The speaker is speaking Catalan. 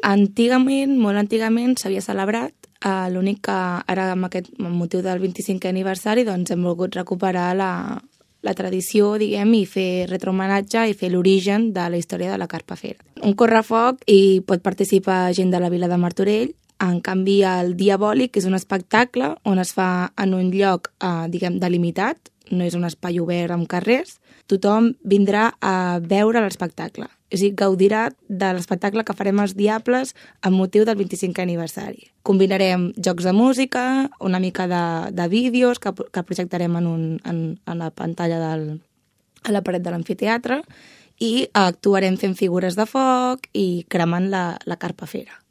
Antigament, molt antigament, s'havia celebrat, l'únic que ara amb aquest motiu del 25è aniversari doncs hem volgut recuperar la tradició, diguem, i fer retrohomenatge i fer l'origen de la història de la Carpafera. Un correfoc i pot participar gent de la vila de Martorell. En canvi, el Diabòlic és un espectacle on es fa en un lloc, diguem, delimitat, no és un espai obert amb carrers. Tothom vindrà a veure l'espectacle. És a dir, gaudirà de l'espectacle que farem els Diables amb motiu del 25è aniversari. Combinarem jocs de música, una mica de vídeos que projectarem en la pantalla a la paret de l'amfiteatre i actuarem fent figures de foc i cremant la Carpafera.